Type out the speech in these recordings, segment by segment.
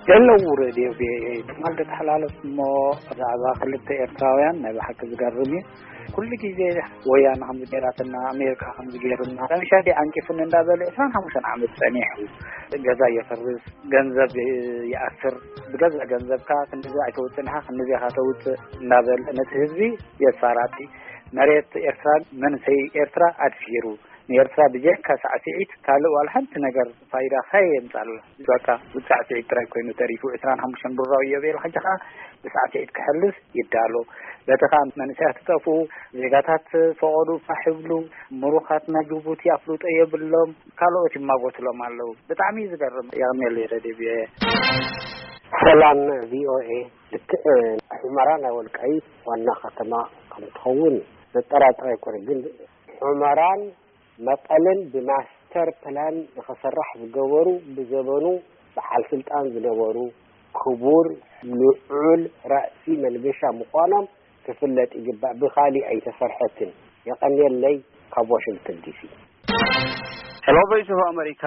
ዘለዉ ሬድዮ ቪኦኤ ትማል ተተሓላለፍ እሞ ብዛዕባ ክልተ ኤርትራውያን ናይ ብሓቂ ዝገርም እዩ። ኩሉ ግዜ ወያነ ከምዚ ገይራትና፣ ኣሜሪካ ከምዚ ገይሩና፣ ረብሻ ድዩ ዓንቂፉኒ እንዳበለ ዕስራን ሓሙሽተን ዓመት ጸኒሑ። ገዛ የፍርስ፣ ገንዘብ ይኣስር። ብገዛ ገንዘብካ ክንድዚ ኣይተውጽእን ኢኻ፣ ክንድዚ ኢኻ ተውጽእ እንዳበለ ነቲ ህዝቢ የስፋራቲ። መሬት ኤርትራ፣ መንሰይ ኤርትራ ኣድፊሩ። ንኤርትራ ብጀካ ሳዕስዒት ካልእ ዋላ ሓንቲ ነገር ፋይዳ ከየምጻላ። በቃ ሳዕስዒት ጥራይ ኮይኑ ተሪፉ። ዕስራን ሓሙሽተን ብራው እዮ ቤሉ፣ ሕጂ ኸኣ ብሳዕስዒት ክሕልፍ ይዳሎ። በቲ ኸኣ መንእሰያት ትጠፍኡ፣ ዜጋታት ፈቐዱ ፋሕ ይብሉ፣ ምሩኻትና ጅቡቲ ኣፍልጦ የብሎም፣ ካልኦት ይማጎትሎም ኣለዉ። ብጣዕሚ እዩ ዝገርም። የቐንየለይ ረድዮ ቪኦኤ። ሰላም ቪኦኤ። ልክዕ ሑመራ ናይ ወልቃይት ዋና ከተማ ከም ትኸውን ዘጠራጥር ኣይኮነ፣ ግን ሑመራን መቐለን ብማስተር ፕላን ንኸሰራሕ ዝገበሩ፣ ብዘበኑ በዓል ስልጣን ዝነበሩ ክቡር ልዑል ራእሲ መንገሻ ምዃኖም ክፍለጥ ይግባእ። ብኻሊእ ኣይተሰርሐትን። የቐንየለይ። ካብ ዋሽንግተን ዲሲ። ሄሎ ቮይስ ኦፍ ኣሜሪካ።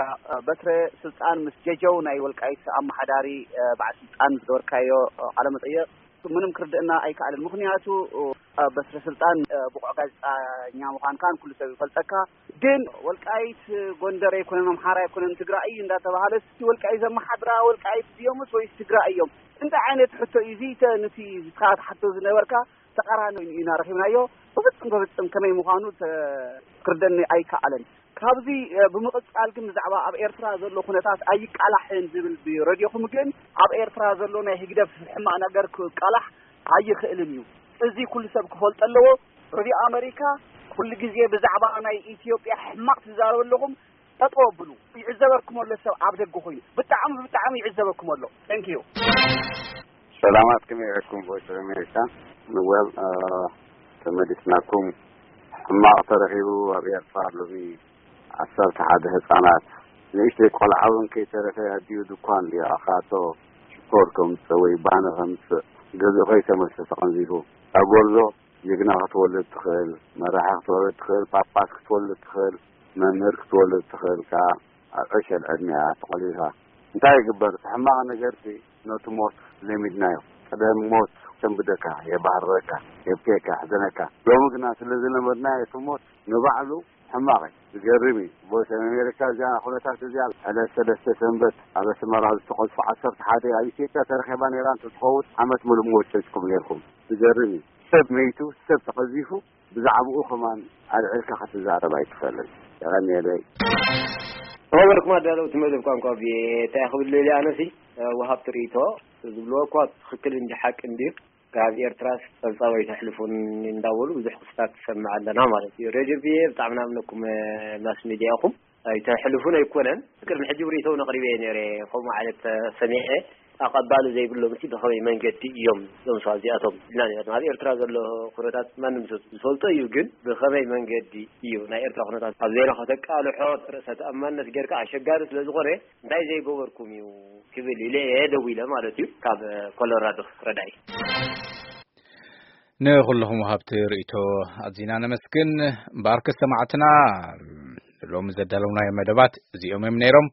በትረ ስልጣን ምስ ጀጀው ናይ ወልቃይት ኣመሓዳሪ በዓል ስልጣን ዝገበርካዮ ቃለ መጠየቕ ምንም ክርድእና ኣይከኣልን። ምኽንያቱ በትረ ስልጣን ብቑዕ ጋዜጣኛ ምዃንካን ኩሉ ሰብ ይፈልጠካ። ግን ወልቃይት ጎንደር ኣይኮነን፣ ኣምሓራ ኣይኮነን፣ ትግራይ እዩ እንዳተባሃለ፣ እቲ ወልቃይት ዘመሓድራ ወልቃይት ድዮምስ ወይስ ትግራይ እዮም? እንታይ ዓይነት ሕቶ እዩ እዚ? ተ-፣ ነቲ ንስኻ ትሓቶ ዝነበርካ ተቃራኒ ኢና ረኺብናዮ። ብፍጹም፣ ብፍጹም ከመይ ምዃኑ ተ-፣ ክርደኒ ኣይከኣለን። ካብዚ፣ እ፣ ብምቕጻል ግን ብዛዕባ ኣብ ኤርትራ ዘሎ ኩነታት ኣይቃላሕን ዝብል ብረድዮኹም ግን ኣብ ኤርትራ ዘሎ ናይ ህግደፍ ሕማቕ ነገር ክቃላሕ ኣይኽእልን እዩ። እዚ ኩሉ ሰብ ክፈልጦ ኣለዎ። ረድዮ ኣመሪካ ኩሉ ግዜ ብዛዕባ ናይ ኢትዮጵያ ሕማቕ ትዛረቡ ኣለኹም። ጠጠው ኣብሉ። ይዕዘበኩም ኣሎ ሰብ ኣብ ደገ ኮይኑ። ብጣዕሚ፣ ብጣዕሚ ይዕዘበኩም ኣሎ። Thank you። ሰላማት፣ ከመይ ውዒልኩም? ቮይስ ኦፍ ኣሜሪካ። ንወል፣ እ፣ ተመሊስናኩም። ሕማቕ ተረኺቡ ኣብ ኤርትራ ሎሚ። ዓሰርተ ሓደ ህጻናት፣ ንእሽተይ ቆልዓ እውን ከይተረፈ ኣዲኡ ድኳን ድዩ ኣኻቶ ሽኮር ከምጽእ ወይ ባኒ ከምጽእ ገዝኡ ከይተመልሰ ተቐንዚፉ። እታ ጎርዞ ጅግና ክትወልድ ትኽእል፣ መራሒ ክትወልድ ትኽእል፣ ጳጳስ ክትወልድ ትኽእል፣ መምህር ክትወልድ ትኽእል ከኣ ኣብ ዕሸል ዕድሜኣ ተቖሊፋ። እንታይ ይግበር? እቲ ሕማቕ ነገርሲ ነቲ ሞት ለሚድናዮ። ቀደም ሞት የሰንብደካ፣ የባህርረካ፣ የብክየካ፣ የሕዘነካ። ሎሚ ግና ስለ ዝለመድናዮ እቲ ሞት ንባዕሉ ሕማቕ እዩ። ዝገርም እዩ። ቮይስ ኦፍ ኣሜሪካ እዚኣ ኩነታት እዚኣ ዕለት ሰለስተ ሰንበት ኣብ ኣስመራ ዝተቐዝፉ ዓሰርተ ሓደ ኣብ ኢትዮጵያ ተረኺባ ነይራ እንተትኸውን ዓመት ሙሉእ ምወጨጭኩም ነይርኩም። ዝገርም እዩ። ሰብ መይቱ፣ ሰብ ተቐዚፉ፣ ብዛዕባኡ ከማን ኣልዒልካ ክትዛረብ ኣይትኽእልን። የቐንየለይ። ኸበርኩም ኣዳለውቲ መደብ ቋንቋ ቪኦኤ። እንታይ ክብል ደልየ ኣነሲ፣ እ፣ ወሃብቲ ርእይቶ ዝብልዎ እኳ ትኽክል እንዲ ሓቂ እንድዩ። ካብ ኤርትራስ ጸብጻብ ኣይተሕልፉን እንዳበሉ ብዙሕ ክስታት ትሰምዕ ኣለና ማለት እዩ። ሬድዮ ቪኦኤ ብጣዕሚ ናምነኩም፣ እ፣ ማስ ሚድያ ኢኹም። ኣይተሕልፉን ኣይኮነን። ቅድሚ ሕጂ ብርእይቶውን ኣቕሪበ እየ ነይረ። ከምኡ ዓይነት፣ እ፣ ሰሚዐ። ኣቐባሊ ዘይብሎም እቲ ብኸመይ መንገዲ እዮም እዞም ሰባት እዚኣቶም ኢልና ነይርና። ኣብ ኤርትራ ዘሎ ኩነታት ማንም ሰብ ዝፈልጦ እዩ፣ ግን ብኸመይ መንገዲ እዩ ናይ ኤርትራ ኩነታት ኣብ ዜና ከተቃልሖ ርእሰ ተኣማንነት ጌርካ ኣሸጋሪ ስለ ዝኾነ እንታይ ዘይገበርኩም እዩ ክብል ኢለ እየ ደዊለ ማለት እዩ። ካብ ኮሎራዶ ረዳኢ። ንኹልኹም ወሃብቲ ርእይቶ ኣዚና ነመስግን። እምበኣርከስ ሰማዕትና ሎሚ ዘዳለውናዮ መደባት እዚኦም እዮም ነይሮም።